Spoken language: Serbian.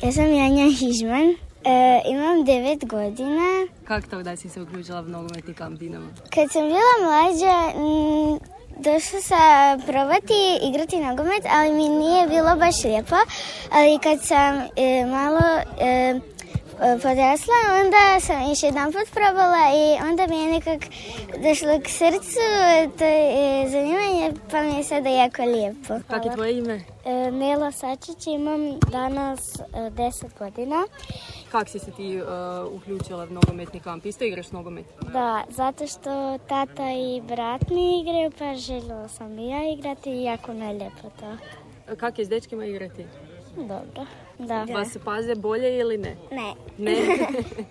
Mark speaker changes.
Speaker 1: Ja sam Janja Hižman, imam 9 godina.
Speaker 2: Kako to da si se uključila u nogometni kamp Dinamo?
Speaker 1: Kad sam bila mlađa, došla sam probati igrati nogomet, ali mi nije bilo baš lijepo. Ali kad sam malo podrasla, onda sam još jedan put probala i onda mi je nekako došlo k srcu to zanimanje, pa mi je sada jako lijepo.
Speaker 2: Kako je tvoje ime?
Speaker 1: Nela Sačić, imam danas 10 godina.
Speaker 2: Kako si se ti uključila u nogometni kamp? Isto igraš nogomet?
Speaker 1: Da, zato što tata i brat mi igraju, pa željela sam i ja igrati i jako najlijepo to.
Speaker 2: Kako je s dečkima igrati?
Speaker 1: Dobro, da.
Speaker 2: Vas se paze bolje ili ne?
Speaker 1: Ne.
Speaker 2: Ne?